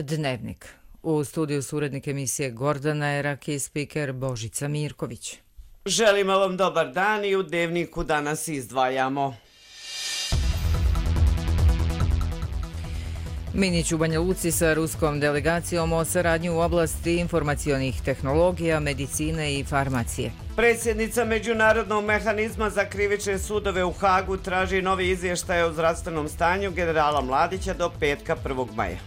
Dnevnik. U studiju su urednik emisije Gordana Erak i spiker Božica Mirković. Želimo vam dobar dan i u Dnevniku danas izdvajamo. Minić u Banja Luci sa ruskom delegacijom o saradnji u oblasti informacionih tehnologija, medicine i farmacije. Predsjednica Međunarodnog mehanizma za krivične sudove u Hagu traži novi izvještaj o zdravstvenom stanju generala Mladića do petka 1. maja.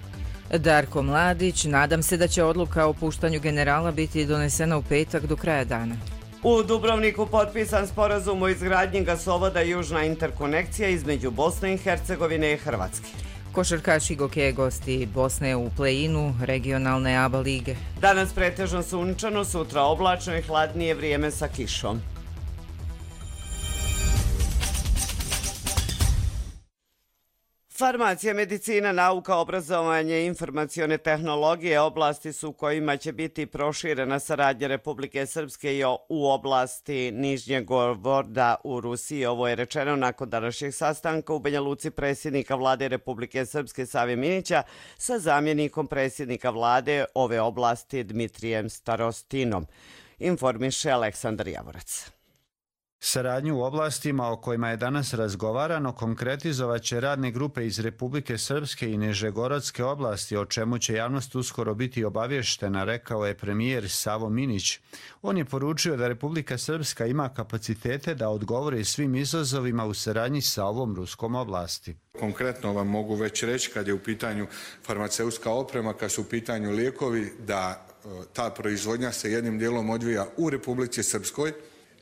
Darko Mladić, nadam se da će odluka o puštanju generala biti donesena u petak do kraja dana. U Dubrovniku potpisan sporazum o izgradnji gasovoda Južna interkonekcija između Bosne i Hercegovine i Hrvatske. Košarkaši Gokeje gosti Bosne u play-inu regionalne ABA lige. Danas pretežno sunčano, sutra oblačno i hladnije vrijeme sa kišom. Farmacija, medicina, nauka, obrazovanje i informacione tehnologije oblasti su u kojima će biti proširena saradnja Republike Srpske u oblasti Nižnjeg Novgoroda u Rusiji. Ovo je rečeno nakon današnjeg sastanka u Banja Luci predsjednika vlade Republike Srpske Save Minića sa zamjenikom predsjednika vlade ove oblasti Dmitrijem Starostinom. Informiše Aleksandar Javorac. Saradnju u oblastima o kojima je danas razgovarano konkretizovat će radne grupe iz Republike Srpske i Nižegorodske oblasti, o čemu će javnost uskoro biti obavještena, rekao je premijer Savo Minić. On je poručio da Republika Srpska ima kapacitete da odgovori svim izazovima u saradnji sa ovom ruskom oblasti. Konkretno vam mogu već reći kad je u pitanju farmaceutska oprema, kad su u pitanju lijekovi, da ta proizvodnja se jednim dijelom odvija u Republici Srpskoj.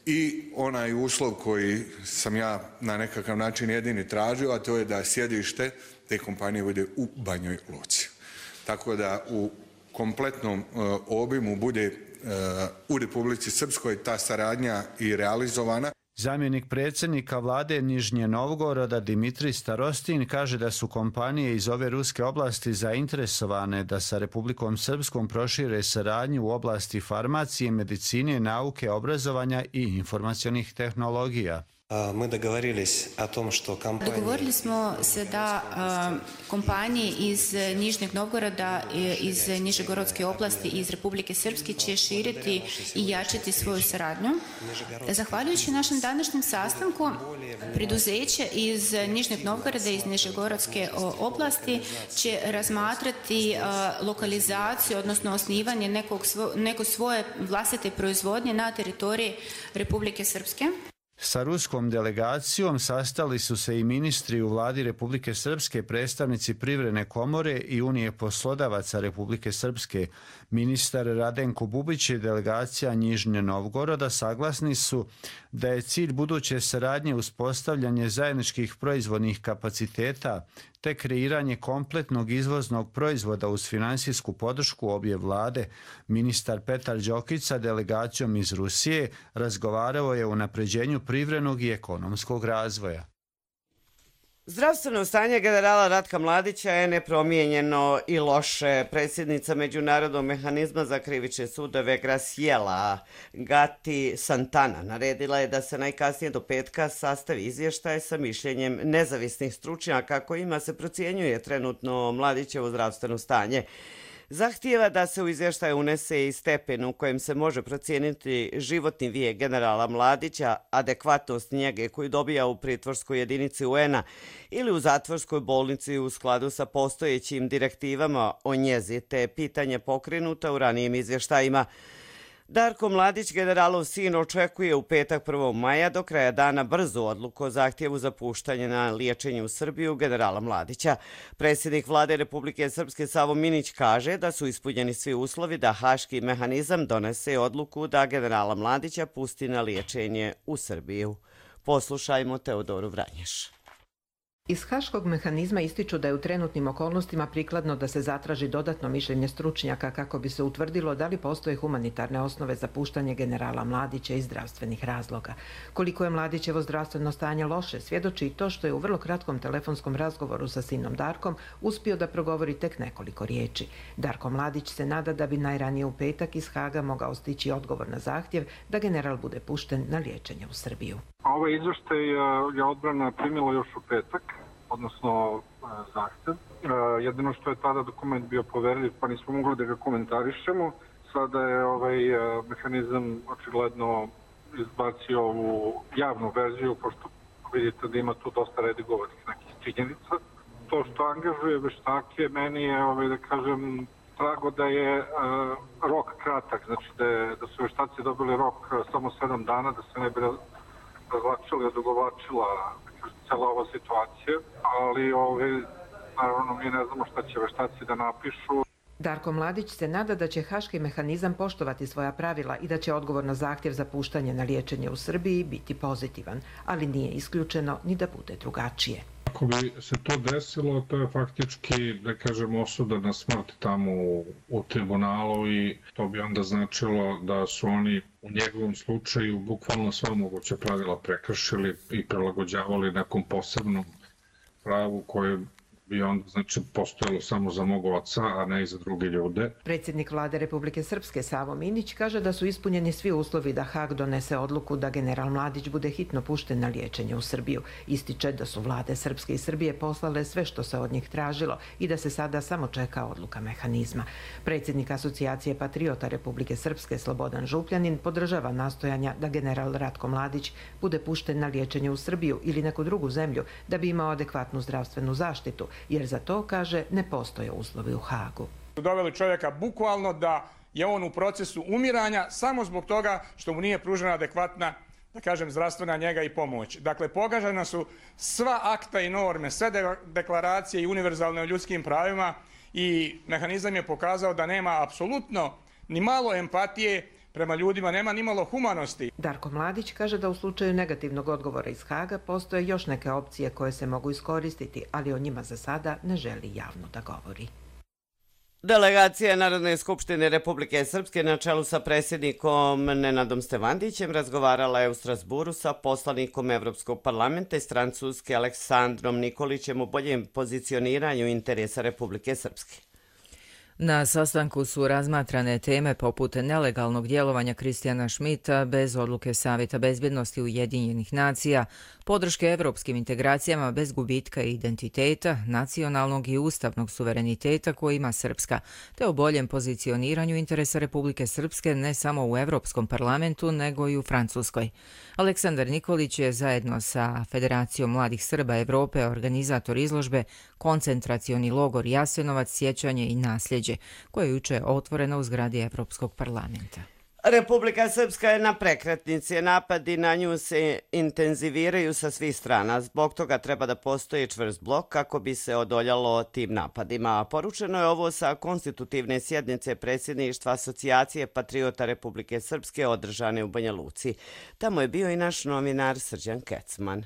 I onaj uslov koji sam ja na nekakav način jedini tražio, a to je da sjedište te kompanije bude u Banjoj Luci. Tako da u kompletnom obimu bude u Republici Srpskoj ta saradnja i realizovana. Zamjenik predsjednika vlade Nižnje Novgoroda Dimitrij Starostin kaže da su kompanije iz ove ruske oblasti zainteresovane da sa Republikom Srpskom prošire saradnju u oblasti farmacije, medicine, nauke, obrazovanja i informacionih tehnologija. Dogovorili smo se da kompanije iz Nižnjeg Novgoroda, iz Nižegorodske oblasti i iz Republike Srpske će širiti i jačati svoju saradnju. Zahvaljujući našem današnjem sastanku, preduzeće iz Nižnjeg Novgoroda i iz Nižegorodske oblasti će razmatrati lokalizaciju, odnosno osnivanje neko svoje vlastite proizvodnje na teritoriji Republike Srpske. Sa ruskom delegacijom sastali su se i ministri u vladi Republike Srpske, predstavnici Privredne komore i Unije poslodavaca Republike Srpske. Ministar Radenko Bubić i delegacija Nižnje Novgoroda saglasni su da je cilj buduće saradnje uspostavljanje zajedničkih proizvodnih kapaciteta te kreiranje kompletnog izvoznog proizvoda uz finansijsku podršku obje vlade. Ministar Petar Đokić sa delegacijom iz Rusije razgovarao je o unapređenju privrednog i ekonomskog razvoja. Zdravstveno stanje generala Ratka Mladića je nepromijenjeno i loše. Predsjednica Međunarodnog mehanizma za krivične sudove Graciela Gatti Santana naredila je da se najkasnije do petka sastavi izvještaj sa mišljenjem nezavisnih stručnjaka kojima se procjenjuje trenutno Mladićevo zdravstveno stanje. Zahtijeva da se u izvještaj unese i stepen u kojem se može procijeniti životni vijek generala Mladića, adekvatnost njege koju dobija u pritvorskoj jedinici UN-a ili u zatvorskoj bolnici u skladu sa postojećim direktivama o njezi, te pitanje pokrenuta u ranijim izvještajima. Darko Mladić, generalov sin, očekuje u petak 1. maja do kraja dana brzu odluku o zahtjevu za puštanje na liječenje u Srbiju generala Mladića. Predsjednik vlade Republike Srpske Savo Minić kaže da su ispunjeni svi uslovi da haški mehanizam donese odluku da generala Mladića pusti na liječenje u Srbiju. Poslušajmo Teodoru Vranješ. Iz haškog mehanizma ističu da je u trenutnim okolnostima prikladno da se zatraži dodatno mišljenje stručnjaka kako bi se utvrdilo da li postoje humanitarne osnove za puštanje generala Mladića iz zdravstvenih razloga. Koliko je Mladićevo zdravstveno stanje loše, svjedoči i to što je u vrlo kratkom telefonskom razgovoru sa sinom Darkom uspio da progovori tek nekoliko riječi. Darko Mladić se nada da bi najranije u petak iz Haga mogao stići odgovor na zahtjev da general bude pušten na liječenje u Srbiju. Ovaj izveštaj je odbrana primila još u petak od odnosno zahtev. Jedino što je tada dokument bio poverljiv, pa nismo mogli da ga komentarišemo. Sada je mehanizam očigledno izbacio ovu javnu verziju, pošto vidite da ima tu dosta redigovanih nekih činjenica. To što angažuje veštake, meni je, da kažem, drago da je rok kratak, znači da su veštaci dobili rok samo 7 dana, da se ne bi razvlačila, odugovlačila cela ova situacija, ali naravno mi ne znamo šta će veštaci da napišu. Darko Mladić se nada da će haški mehanizam poštovati svoja pravila i da će odgovor na zahtjev za puštanje na liječenje u Srbiji biti pozitivan, ali nije isključeno ni da bude drugačije. Ako bi se to desilo, to je faktički, da kažem, osuda na smrt tamo u tribunalu i to bi onda značilo da su oni u njegovom slučaju bukvalno sva moguća pravila prekršili i prilagođavali nekom posebnom pravu koje bi onda postojalo samo za mog oca, a ne i za druge ljude. Predsjednik Vlade Republike Srpske Savo Minić kaže da su ispunjeni svi uslovi da Hag donese odluku da general Mladić bude hitno pušten na liječenje u Srbiju. Ističe da su vlade Srpske i Srbije poslale sve što se od njih tražilo i da se sada samo čeka odluka mehanizma. Predsjednik Asocijacije patriota Republike Srpske Slobodan Župljanin podržava nastojanja da general Ratko Mladić bude pušten na liječenje u Srbiju ili neku drugu zemlju da bi imao adekvatnu zdravstvenu zaštitu, jer za to, kaže, ne postoje uslovi u Hagu. Doveli čovjeka bukvalno da je on u procesu umiranja samo zbog toga što mu nije pružena adekvatna, da kažem, zdravstvena njega i pomoć. Dakle, pogažena su sva akta i norme, sve deklaracije i univerzalne o ljudskim pravima i mehanizam je pokazao da nema apsolutno ni malo empatije prema ljudima, nema ni malo humanosti. Darko Mladić kaže da u slučaju negativnog odgovora iz Haga postoje još neke opcije koje se mogu iskoristiti, ali o njima za sada ne želi javno da govori. Delegacija Narodne skupštine Republike Srpske na čelu sa predsjednikom Nenadom Stevandićem razgovarala je u Strasburu sa poslanikom Evropskog parlamenta iz Francuske Aleksandrom Nikolićem o boljem pozicioniranju interesa Republike Srpske. Na sastanku su razmatrane teme poput nelegalnog djelovanja Kristijana Šmita bez odluke Savjeta bezbjednosti Ujedinjenih nacija, podrške evropskim integracijama bez gubitka identiteta, nacionalnog i ustavnog suvereniteta koji ima Srpska, te o boljem pozicioniranju interesa Republike Srpske ne samo u Evropskom parlamentu, nego i u Francuskoj. Aleksandar Nikolić je zajedno sa Federacijom mladih Srba Evrope organizator izložbe Koncentracioni logor Jasenovac, sjećanje i nasljeđe, koje je juče otvoreno u zgradi Evropskog parlamenta. Republika Srpska je na prekretnici, napadi na nju se intenziviraju sa svih strana. Zbog toga treba da postoji čvrst blok kako bi se odoljalo tim napadima. Poručeno je ovo sa konstitutivne sjednice predsjedništva Asocijacije patriota Republike Srpske održane u Banja Luci. Tamo je bio i naš novinar Srđan Kecman.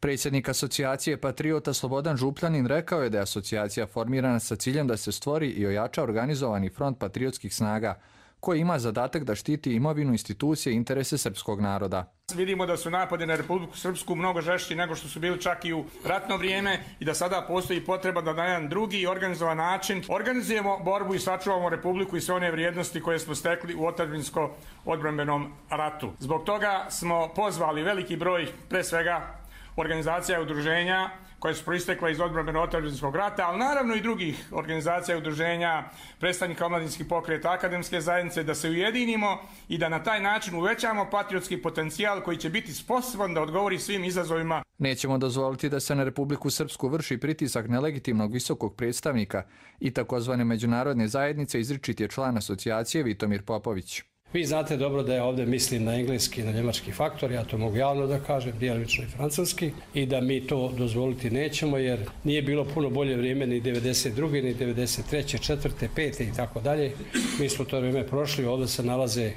Predsjednik Asocijacije patriota Slobodan Župljanin rekao je da je asocijacija formirana sa ciljem da se stvori i ojača organizovani front patriotskih snaga, koji ima zadatak da štiti imovinu, institucije i interese srpskog naroda. Vidimo da su napadi na Republiku Srpsku mnogo žešći nego što su bili čak i u ratno vrijeme i da sada postoji potreba da na jedan drugi organizovan način organizujemo borbu i sačuvamo Republiku i sve one vrijednosti koje smo stekli u otadžbinsko-odbrambenom ratu. Zbog toga smo pozvali veliki broj, pre svega, organizacija i udruženja koje su proistekle iz odbrambeno-otadžbinskog rata, ali naravno i drugih organizacija i udruženja, predstavnika omladinskih pokreta, akademske zajednice, da se ujedinimo i da na taj način uvećamo patriotski potencijal koji će biti sposoban da odgovori svim izazovima. Nećemo dozvoliti da se na Republiku Srpsku vrši pritisak nelegitimnog visokog predstavnika i takozvane međunarodne zajednice, izričit je član asocijacije Vitomir Popović. Vi znate dobro da ja ovdje mislim na engleski i na njemački faktor, ja to mogu javno da kažem, djelomično i francuski, i da mi to dozvoliti nećemo, jer nije bilo puno bolje vrijeme ni 92. ni 93. 4. 5. i tako dalje. Mi smo to vrijeme prošli, ovdje se nalaze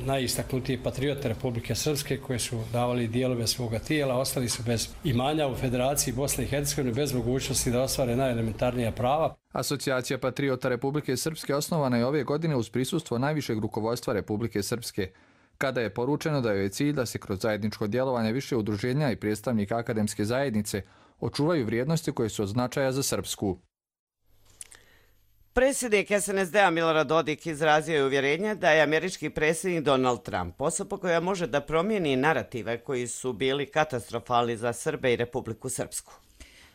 najistaknutiji patriote Republike Srpske koji su davali dijelove svoga tijela, ostali su bez imanja u Federaciji Bosne i Hercegovine, bez mogućnosti da ostvare najelementarnija prava. Asocijacija patriota Republike Srpske osnovana je ove godine uz prisustvo najvišeg rukovodstva Republike Srpske, kada je poručeno da joj je cilj da se kroz zajedničko djelovanje više udruženja i predstavnika akademske zajednice očuvaju vrijednosti koje su od značaja za Srpsku. Predsjednik SNSD-a Milorad Dodik izrazio je uvjerenje da je američki predsjednik Donald Trump osoba koja može da promijeni narative koji su bili katastrofalni za Srbe i Republiku Srpsku.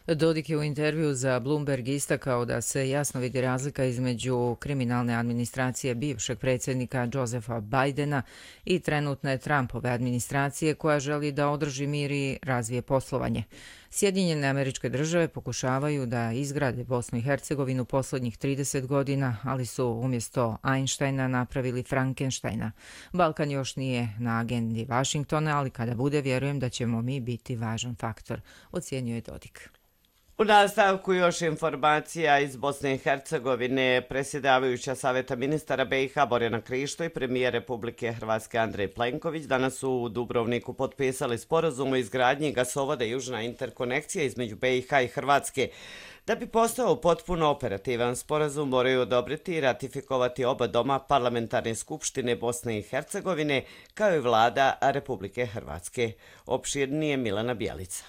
Dodik je u intervju za Bloomberg istakao da se jasno vidi razlika između kriminalne administracije bivšeg predsjednika Josepha Bidena i trenutne Trumpove administracije koja želi da održi mir i razvije poslovanje. Sjedinjene Američke Države pokušavaju da izgrade Bosnu i Hercegovinu posljednjih 30 godina, ali su umjesto Einsteina napravili Frankensteina. Balkan još nije na agendi Vašingtona, ali kada bude, vjerujem da ćemo mi biti važan faktor, ocijenio je Dodik. U nastavku još informacija iz Bosne i Hercegovine. Predsjedavajuća Saveta ministara BiH Borjana Krišto i premijer Republike Hrvatske Andrej Plenković danas su u Dubrovniku potpisali sporazum o izgradnji gasovoda Južna interkonekcija između BiH i Hrvatske. Da bi postao potpuno operativan, sporazum moraju odobriti i ratifikovati oba doma Parlamentarne skupštine Bosne i Hercegovine kao i vlada Republike Hrvatske. Opširnije Milana Bjelica.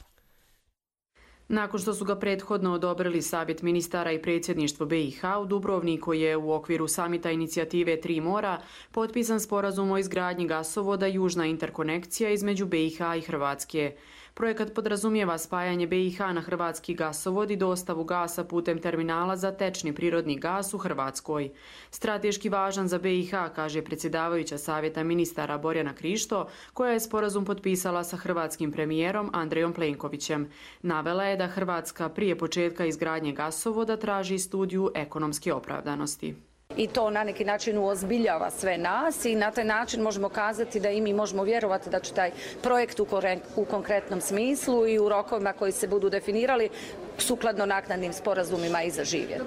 Nakon što su ga prethodno odobrili Savjet ministara i predsjedništvo BiH, u Dubrovniku je u okviru samita inicijative Tri mora potpisan sporazum o izgradnji gasovoda Južna interkonekcija između BiH i Hrvatske. Projekat podrazumijeva spajanje BiH na hrvatski gasovod i dostavu gasa putem terminala za tečni prirodni gas u Hrvatskoj. Strateški važan za BiH, kaže predsjedavajuća Savjeta ministara Borjana Krišto, koja je sporazum potpisala sa hrvatskim premijerom Andrejom Plenkovićem. Navela je da Hrvatska prije početka izgradnje gasovoda traži studiju ekonomske opravdanosti. I to na neki način uozbiljava sve nas i na taj način možemo kazati da i mi možemo vjerovati da će taj projekt u konkretnom smislu i u rokovima koji se budu definirali sukladno naknadnim sporazumima i zaživjeti.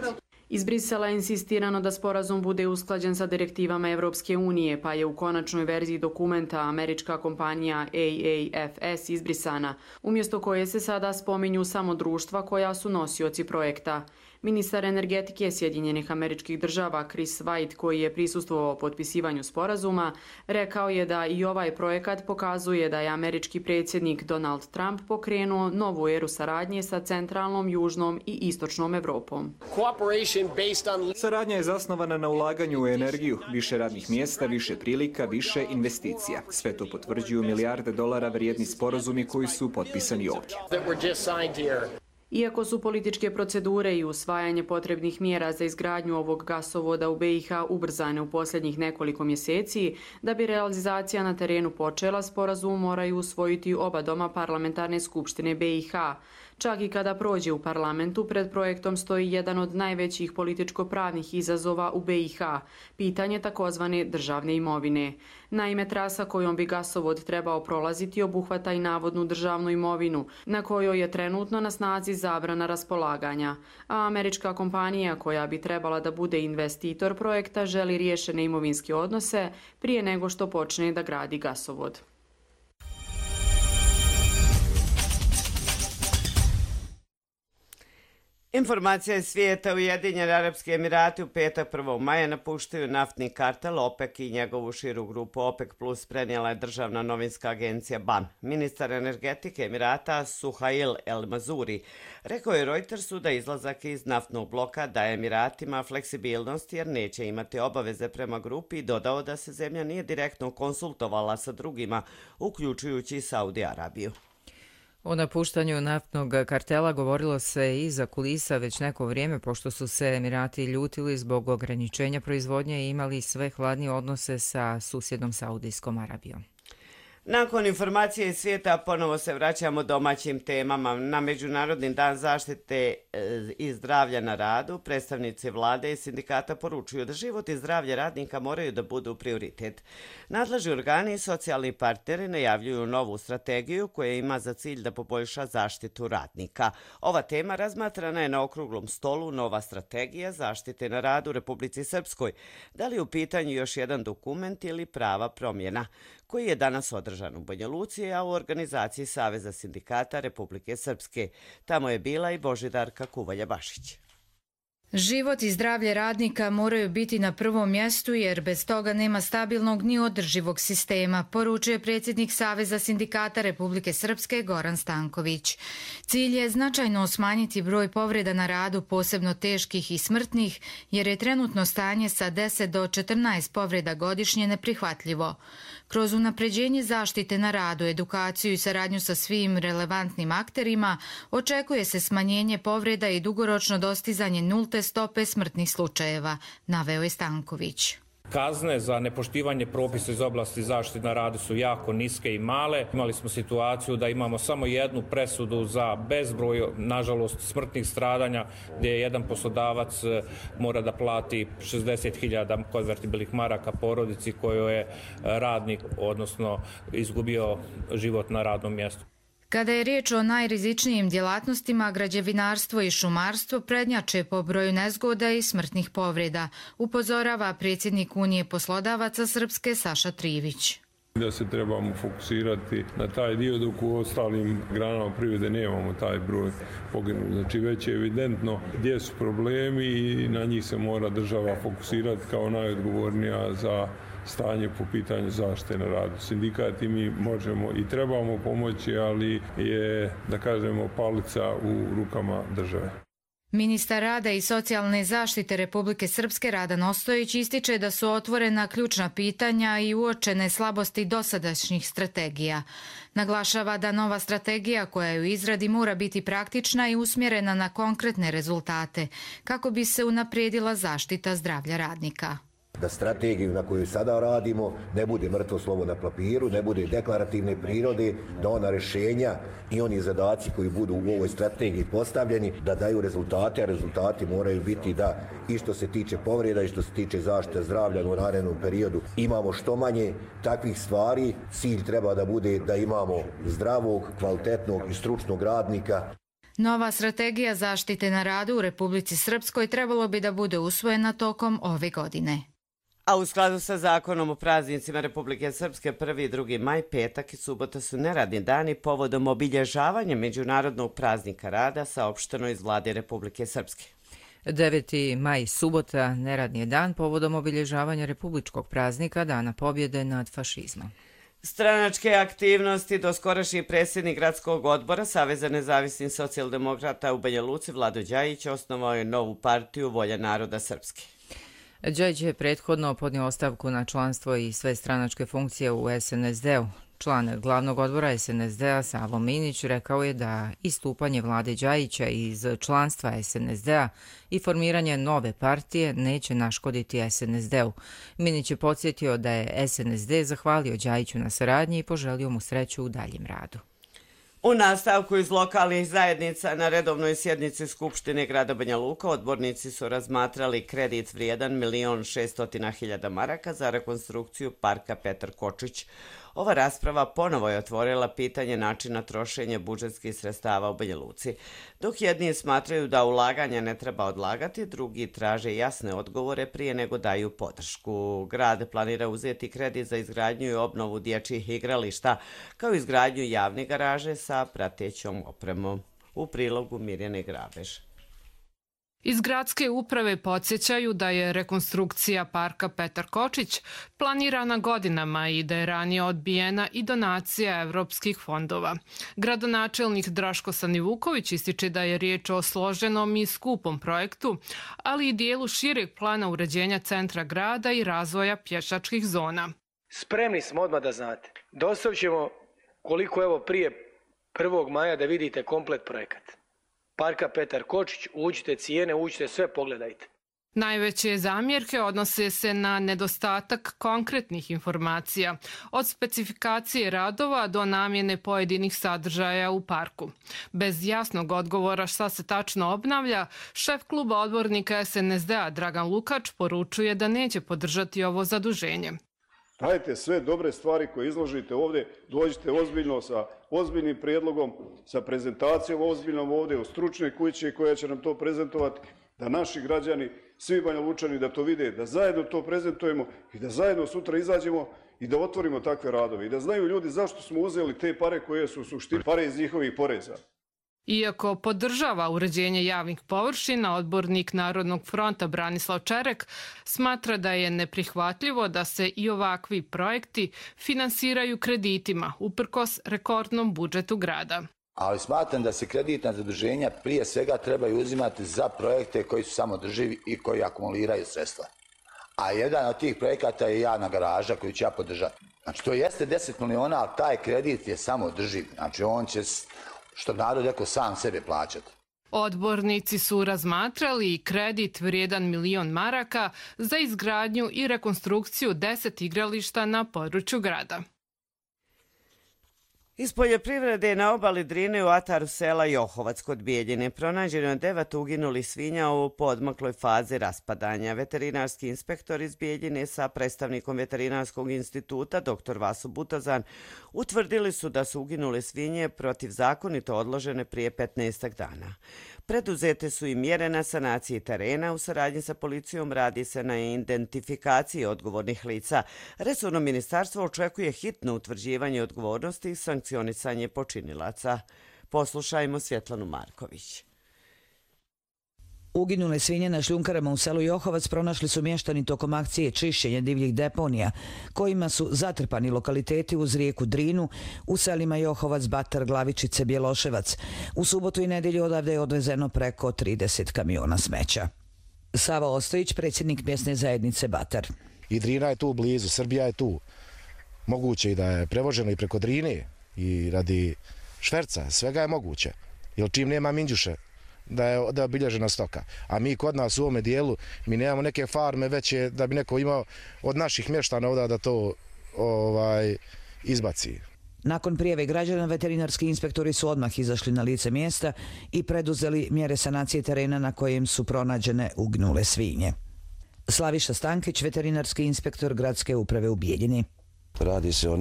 Iz Brisela je insistirano da sporazum bude usklađen sa direktivama Evropske unije, pa je u konačnoj verziji dokumenta američka kompanija AAFS izbrisana, umjesto koje se sada spominju samo društva koja su nosioci projekta. Ministar energetike Sjedinjenih Američkih Država Chris White, koji je prisustvovao potpisivanju sporazuma, rekao je da i ovaj projekat pokazuje da je američki predsjednik Donald Trump pokrenuo novu eru saradnje sa centralnom, južnom i istočnom Evropom. Saradnja je zasnovana na ulaganju u energiju, više radnih mjesta, više prilika, više investicija. Sve to potvrđuju milijarde dolara vrijedni sporazumi koji su potpisani ovdje. Iako su političke procedure i usvajanje potrebnih mjera za izgradnju ovog gasovoda u BiH ubrzane u posljednjih nekoliko mjeseci, da bi realizacija na terenu počela, sporazum moraju usvojiti oba doma Parlamentarne skupštine BiH. Čak i kada prođe u parlamentu, pred projektom stoji jedan od najvećih političko-pravnih izazova u BiH, pitanje takozvane državne imovine. Naime, trasa kojom bi gasovod trebao prolaziti obuhvata i navodnu državnu imovinu, na kojoj je trenutno na snazi zabrana raspolaganja, a američka kompanija koja bi trebala da bude investitor projekta želi riješene imovinske odnose prije nego što počne da gradi gasovod. Informacija iz svijeta. Ujedinjeni Arapski Emirati u petak 1. maja napuštaju naftni kartel OPEC i njegovu širu grupu OPEC Plus prenijela je državna novinska agencija BAN. Ministar energetike Emirata Suhail El Mazuri rekao je Reutersu da izlazak iz naftnog bloka daje Emiratima fleksibilnost jer neće imati obaveze prema grupi i dodao da se zemlja nije direktno konsultovala sa drugima, uključujući Saudi Arabiju. O napuštanju naftnog kartela govorilo se i za kulisa već neko vrijeme, pošto su se Emirati ljutili zbog ograničenja proizvodnje i imali sve hladnije odnose sa susjednom Saudijskom Arabijom. Nakon informacije iz svijeta ponovo se vraćamo domaćim temama. Na Međunarodni dan zaštite i zdravlja na radu predstavnici vlade i sindikata poručuju da život i zdravlje radnika moraju da budu prioritet. Nadležni organi i socijalni partneri najavljuju novu strategiju koja ima za cilj da poboljša zaštitu radnika. Ova tema razmatrana je na okruglom stolu Nova strategija zaštite na radu u Republici Srpskoj. Da li je u pitanju još jedan dokument ili prava promjena, koji je danas održan u Banja Luci, a u organizaciji Saveza sindikata Republike Srpske. Tamo je bila i Božidarka Kuvalja-Bašić. Život i zdravlje radnika moraju biti na prvom mjestu jer bez toga nema stabilnog ni održivog sistema, poručuje predsjednik Saveza sindikata Republike Srpske Goran Stanković. Cilj je značajno smanjiti broj povreda na radu, posebno teških i smrtnih, jer je trenutno stanje sa 10 do 14 povreda godišnje neprihvatljivo. Kroz unapređenje zaštite na radu, edukaciju i saradnju sa svim relevantnim akterima, očekuje se smanjenje povreda i dugoročno dostizanje nulte stope smrtnih slučajeva, naveo je Stanković. Kazne za nepoštivanje propisa iz oblasti zaštite na radu su jako niske i male. Imali smo situaciju da imamo samo jednu presudu za bezbroj, nažalost, smrtnih stradanja, gdje jedan poslodavac mora da plati 60.000 konvertibilnih maraka porodici kojoj je radnik, odnosno izgubio život na radnom mjestu. Kada je riječ o najrizičnijim djelatnostima, građevinarstvo i šumarstvo prednjače po broju nezgoda i smrtnih povreda, upozorava predsjednik Unije poslodavaca Srpske Saša Trivić. Da se trebamo fokusirati na taj dio dok u ostalim granama privrede nemamo taj broj poginulih. Znači već je evidentno gdje su problemi i na njih se mora država fokusirati kao najodgovornija za stanje po pitanju zaštite na radu. Sindikati mi možemo i trebamo pomoći, ali je, da kažemo, palica u rukama države. Ministar rada i socijalne zaštite Republike Srpske Radan Ostojić ističe da su otvorena ključna pitanja i uočene slabosti dosadašnjih strategija. Naglašava da nova strategija koja je u izradi mora biti praktična i usmjerena na konkretne rezultate kako bi se unaprijedila zaštita zdravlja radnika. Da strategiju na koju sada radimo ne bude mrtvo slovo na papiru, ne bude deklarativne prirode, da ona rješenja i oni zadaci koji budu u ovoj strategiji postavljeni, da daju rezultate, a rezultati moraju biti da i što se tiče povreda i što se tiče zaštite zdravlja u narednom periodu imamo što manje takvih stvari. Cilj treba da bude da imamo zdravog, kvalitetnog i stručnog radnika. Nova strategija zaštite na radu u Republici Srpskoj trebalo bi da bude usvojena tokom ove godine. A u skladu sa zakonom o praznicima Republike Srpske 1. i 2. maj, petak i subota su neradni dani povodom obilježavanja Međunarodnog praznika rada, saopšteno iz Vlade Republike Srpske. 9. maj, subota, neradni je dan povodom obilježavanja republičkog praznika Dana pobjede nad fašizmom. Stranačke aktivnosti doskorašnji predsjednik gradskog odbora Saveza nezavisnih socijaldemokrata u Banja Luci Vlado Đajić osnovao je novu partiju Volja naroda Srpske. Đajić je prethodno podnio ostavku na članstvo i sve stranačke funkcije u SNSD-u. Član glavnog odbora SNSD-a Savo Minić rekao je da istupanje Vlade Đajića iz članstva SNSD-a i formiranje nove partije neće naškoditi SNSD-u. Minić je podsjetio da je SNSD zahvalio Đajiću na saradnji i poželio mu sreću u daljem radu. U nastavku iz lokalnih zajednica na redovnoj sjednici Skupštine grada Banja Luka odbornici su razmatrali kredit vrijedan 1.600.000 maraka za rekonstrukciju parka Petar Kočić. Ova rasprava ponovo je otvorila pitanje načina trošenja budžetskih sredstava u Banja Luci. Dok jedni smatraju da ulaganja ne treba odlagati, drugi traže jasne odgovore prije nego daju podršku. Grad planira uzeti kredit za izgradnju i obnovu dječjih igrališta, kao i izgradnju javne garaže sa pratećom opremom. U prilogu Mirjane Grabež. Iz gradske uprave podsjećaju da je rekonstrukcija parka Petar Kočić planirana godinama i da je ranije odbijena i donacija evropskih fondova. Gradonačelnik Draško Stanivuković ističe da je riječ o složenom i skupom projektu, ali i dijelu šireg plana uređenja centra grada i razvoja pješačkih zona. Spremni smo odmah da znate. Dostavit ćemo koliko evo prije 1. maja da vidite komplet projekat. Parka Petar Kočić, uđite cijene, uđite sve, pogledajte. Najveće zamjerke odnose se na nedostatak konkretnih informacija, od specifikacije radova do namjene pojedinih sadržaja u parku. Bez jasnog odgovora šta se tačno obnavlja, šef kluba odbornika SNSD-a Dragan Lukač poručuje da neće podržati ovo zaduženje. Dajte sve dobre stvari koje izložite ovdje, dođite ozbiljno sa ozbiljnim prijedlogom, sa prezentacijom ozbiljnom ovdje u stručnoj kući koja će nam to prezentovati, da naši građani, svi Banja Lučani da to vide, da zajedno to prezentujemo i da zajedno sutra izađemo i da otvorimo takve radove i da znaju ljudi zašto smo uzeli te pare koje su u suštini pare iz njihovih poreza. Iako podržava uređenje javnih površina, odbornik Narodnog fronta Branislav Čerek smatra da je neprihvatljivo da se i ovakvi projekti finansiraju kreditima, uprkos rekordnom budžetu grada. Ali smatram da se kreditna zaduženja prije svega trebaju uzimati za projekte koji su samodrživi i koji akumuliraju sredstva. A jedan od tih projekata je javna garaža koju ću ja podržati. Znači to jeste 10 miliona, ali taj kredit je samodrživ. Znači on će, što narod rekao, sam sebe plaćati. Odbornici su razmatrali i kredit vrijedan 1 milion maraka za izgradnju i rekonstrukciju 10 igrališta na području grada. Iz poljoprivrede na obali Drine u ataru sela Johovac kod Bijeljine pronađeno je 9 uginulih svinja u poodmakloj fazi raspadanja. Veterinarski inspektor iz Bijeljine sa predstavnikom Veterinarskog instituta dr. Vaso Butozan utvrdili su da su uginule svinje protivzakonito odložene prije 15 dana. Preduzete su i mjere na sanaciji terena. U saradnji sa policijom radi se na identifikaciji odgovornih lica. Resorno ministarstvo očekuje hitno utvrđivanje odgovornosti i sankcionisanje počinilaca. Poslušajmo Svjetlanu Marković. Uginule svinje na šljunkarama u selu Johovac pronašli su mještani tokom akcije čišćenja divljih deponija, kojima su zatrpani lokaliteti uz rijeku Drinu u selima Johovac, Batar, Glavičice, Bjeloševac. U subotu i nedjelju odavde je odvezeno preko 30 kamiona smeća. Sava Ostojić, predsjednik mjesne zajednice Batar. I Drina je tu blizu, Srbija je tu. Moguće i da je prevoženo i preko Drine i radi šverca, svega je moguće. Jer čim nema minđuše, da je obilježena stoka. A mi kod nas u ovome dijelu, mi nemamo neke farme veće da bi neko imao od naših mještana ovdje da to izbaci. Nakon prijave građana, veterinarski inspektori su odmah izašli na lice mjesta i preduzeli mjere sanacije terena na kojem su pronađene uginule svinje. Slaviša Stankić, veterinarski inspektor gradske uprave u Bijeljini. Radi se o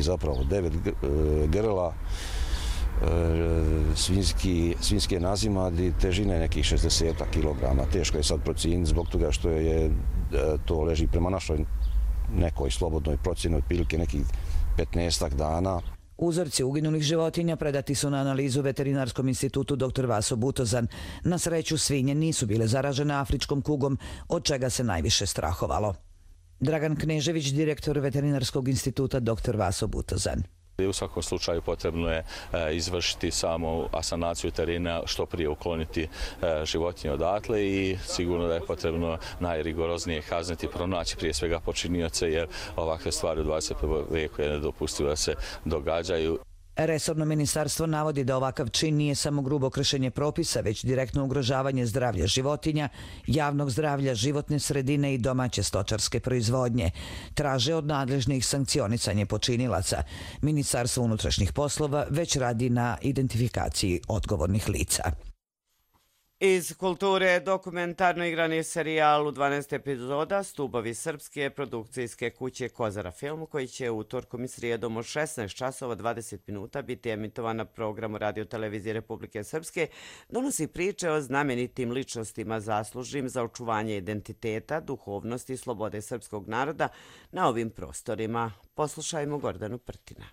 zapravo 9 grla, svinjske nazimadi, težine nekih 60 kg. Teško je sad procijeniti zbog toga što to leži prema našoj nekoj slobodnoj procjeni otprilike nekih 15 dana. Uzorci uginulih životinja predati su na analizu Veterinarskom institutu dr. Vaso Butozan. Na sreću svinje nisu bile zaražene afričkom kugom, od čega se najviše strahovalo. Dragan Knežević, direktor Veterinarskog instituta dr. Vaso Butozan. U svakom slučaju potrebno je izvršiti samo asanaciju terena, što prije ukloniti životinje odatle i sigurno da je potrebno najrigoroznije kazniti, pronaći prije svega počinioce, jer ovakve stvari u 21. vijeku je nedopustivo da se događaju. Resorno ministarstvo navodi da ovakav čin nije samo grubo kršenje propisa, već direktno ugrožavanje zdravlja životinja, javnog zdravlja, životne sredine i domaće stočarske proizvodnje. Traže od nadležnih sankcionisanje počinilaca. Ministarstvo unutrašnjih poslova već radi na identifikaciji odgovornih lica. Iz kulture dokumentarno igrani serijal u 12 epizoda Stubovi srpske produkcijske kuće Kozara film, koji će utorkom i srijedom od 16 časova 20 minuta biti emitovan na programu Radio Televizije Republike Srpske, donosi priče o znamenitim ličnostima zaslužnim za očuvanje identiteta, duhovnosti i slobode srpskog naroda na ovim prostorima. Poslušajmo Gordanu Prtina.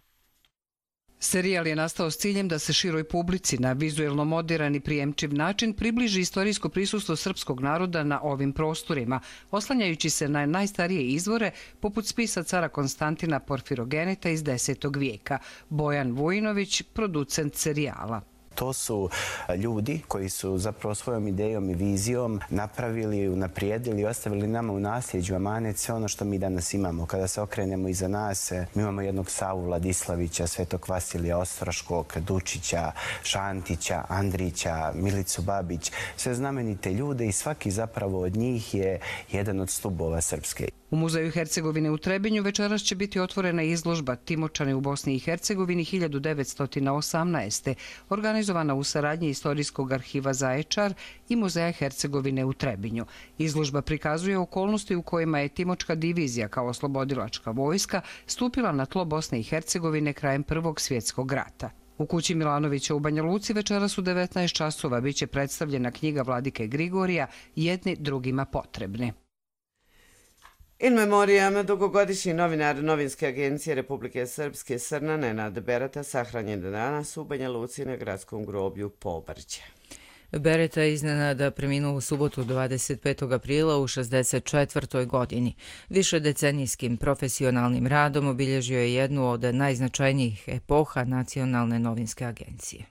Serijal je nastao s ciljem da se široj publici na vizuelno moderan i prijemčiv način približi istorijsko prisustvo srpskog naroda na ovim prostorima, oslanjajući se na najstarije izvore poput spisa cara Konstantina Porfirogeneta iz 10. vijeka. Bojan Vujinović, producent serijala. To su ljudi koji su zapravo svojom idejom i vizijom napravili, unaprijedili i ostavili nama u nasljeđu amanet sve ono što mi danas imamo. Kada se okrenemo iza nas, mi imamo jednog Savu Vladislavića, Svetog Vasilija Ostroškog, Dučića, Šantića, Andrića, Milicu Babić, sve znamenite ljude i svaki zapravo od njih je jedan od stubova Srpske. U Muzeju Hercegovine u Trebinju večeras će biti otvorena izložba Timočani u Bosni i Hercegovini 1918. organizovana u saradnji Istorijskog arhiva Zaječar i Muzeja Hercegovine u Trebinju. Izložba prikazuje okolnosti u kojima je Timočka divizija kao oslobodilačka vojska stupila na tlo Bosne i Hercegovine krajem Prvog svjetskog rata. U kući Milanovića u Banja Luci večeras u 19 časova biće predstavljena knjiga Vladike Grigorija Jedni drugima potrebni. In memoriam dugogodišnji novinar Novinske agencije Republike Srpske Srna Nenad Bereta sahranjen danas u Banja Luci na gradskom groblju Pobrđe. Bereta iznenada preminuo u subotu 25. aprila u 64. godini. Višedecenijskim profesionalnim radom obilježio je jednu od najznačajnijih epoha Nacionalne novinske agencije.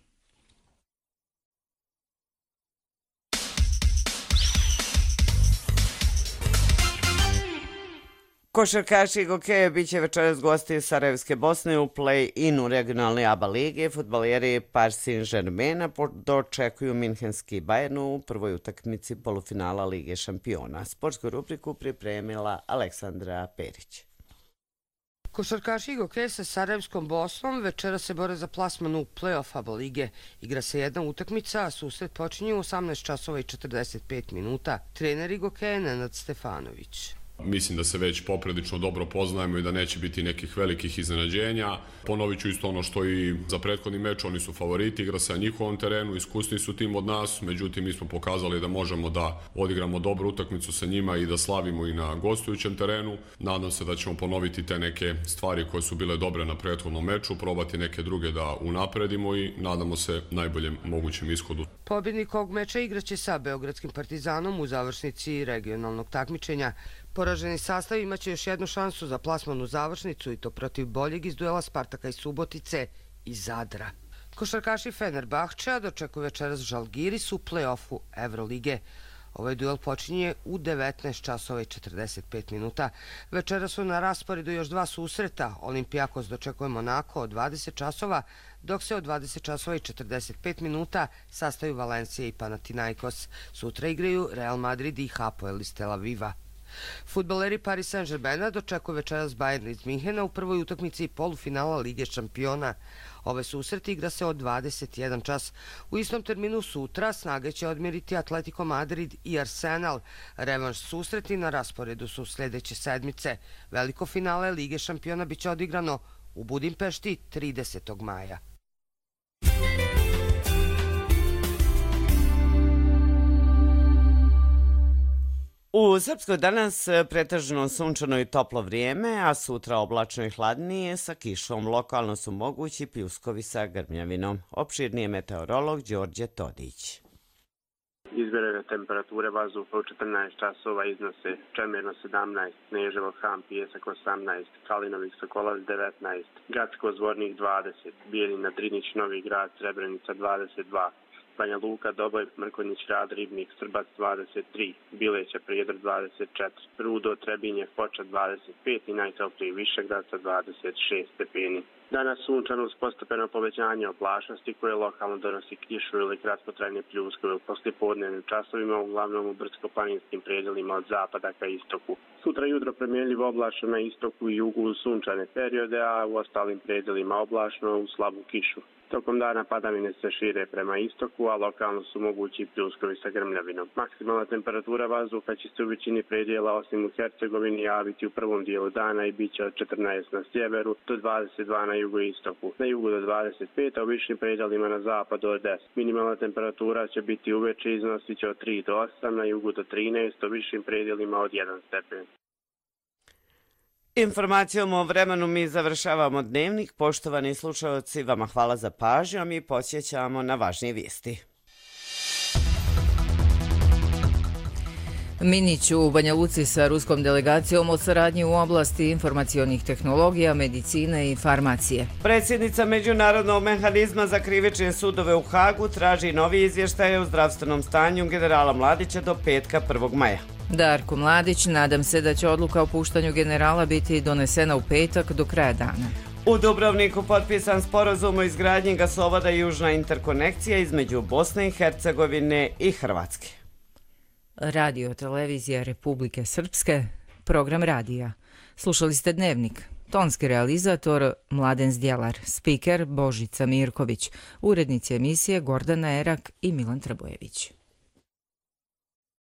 Košarkaši Gokeja bit će večeras gosti Sarajevske Bosne u play-inu regionalne ABA lige. Fudbaleri Paris Saint-Germaina dočekuju Minhenski Bayern u prvoj utakmici polufinala Lige šampiona. Sportsku rubriku pripremila Aleksandra Perić. Košarkaši Gokeja sa Sarajevskom Bosnom večera se bore za plasman u play-off ABA lige. Igra se jedna utakmica, a susret počinje u 18 časova i 45 minuta. Trener Gokeja Nenad Stefanović. Mislim da se već poprilično dobro poznajemo i da neće biti nekih velikih iznenađenja. Ponovit ću isto ono što i za prethodni meč, oni su favoriti, igra se na njihovom terenu, iskusni su tim od nas, međutim mi smo pokazali da možemo da odigramo dobru utakmicu sa njima i da slavimo i na gostujućem terenu. Nadam se da ćemo ponoviti te neke stvari koje su bile dobre na prethodnom meču, probati neke druge da unapredimo i nadamo se najboljem mogućem ishodu. Pobjednik ovog meča igraće sa Beogradskim Partizanom u završnici regionalnog takmičenja. Poraženi sastav imaće još jednu šansu za plasman u završnicu i to protiv boljeg iz duela Spartaka iz Subotice i Zadra. Košarkaši Fenerbahčea dočekuju večeras Žalgiris u play-offu Evrolige. Ovaj duel počinje u 19 časova i 45 minuta. Večera su na rasporedu još dva susreta. Olimpijakos dočekuje Monako od 20 časova, dok se od 20 časova i 45 minuta sastaju Valencija i Panathinaikos. Sutra igraju Real Madrid i Hapoel iz Tel Aviva. Fudbaleri Paris Saint-Germaina dočekuju večeras Bayern iz Minhena u prvoj utakmici polufinala Lige šampiona. Ove susreti igra se od 21 čas. U istom terminu sutra snage će odmjeriti Atletico Madrid i Arsenal. Revanš susreti na rasporedu su sljedeće sedmice. Veliko finale Lige šampiona biće odigrano u Budimpešti 30. maja. U Srpskoj danas pretežno sunčano i toplo vrijeme, a sutra oblačno i hladnije sa kišom. Lokalno su mogući pljuskovi sa grmljavinom. Opširnije meteorolog Đorđe Todić. Izmjerene temperature vazduha u 14 časova iznose Čemerno 17, Neževo Han Pijesak 18, Kalinović Sokolac 19, Gacko Zvornik 20, Bijeljina Drinić Novi Grad Srebrenica 22, Banja Luka, Doboj, Mrkonjić, Rad, Ribnik, Srbac 23, Bileća, Prijedor 24, Rudo, Trebinje, Foča 25 i najtopliji Višegradca 26 stepeni. Danas sunčano uz postepeno povećanje oblačnosti koje lokalno donosi kišu ili kratkotrajne pljuskove u poslijepodnevnim časovima, uglavnom u brdsko-planinskim predjelima od zapada ka istoku. Sutra jutro promjenljivo oblačno na istoku i jugu u sunčane periode, a u ostalim predjelima oblačno u slabu kišu. Tokom dana padavine se šire prema istoku, a lokalno su mogući pljuskovi sa grmljavinom. Maksimalna temperatura vazduha će se u većini predjela osim u Hercegovini javiti u prvom dijelu dana i bit će od 14 na sjeveru do 22 na jugoistoku. Na jugu do 25, a u višim predjelima na zapadu od 10. Minimalna temperatura će biti uveče iznosit će od 3 do 8, na jugu do 13, a u višim predjelima od 1 stepen. Informacijom o vremenu mi završavamo dnevnik. Poštovani slušalci, vama hvala za pažnju, a mi podsjećamo na važnije vijesti. Minić u Banja Luci sa ruskom delegacijom o saradnji u oblasti informacionih tehnologija, medicine i farmacije. Predsjednica Međunarodnog mehanizma za krivične sudove u Hagu traži novi izvještaj o zdravstvenom stanju generala Mladića do petka 1. maja. Darko Mladić, nadam se da će odluka o puštanju generala biti donesena u petak do kraja dana. U Dubrovniku potpisan sporazum o izgradnji gasovoda Južna interkonekcija između Bosne i Hercegovine i Hrvatske. Radio televizija Republike Srpske, program radija. Slušali ste Dnevnik. Tonski realizator Mladen Zdjelar, spiker Božica Mirković, urednici emisije Gordana Erak i Milan Trbojević.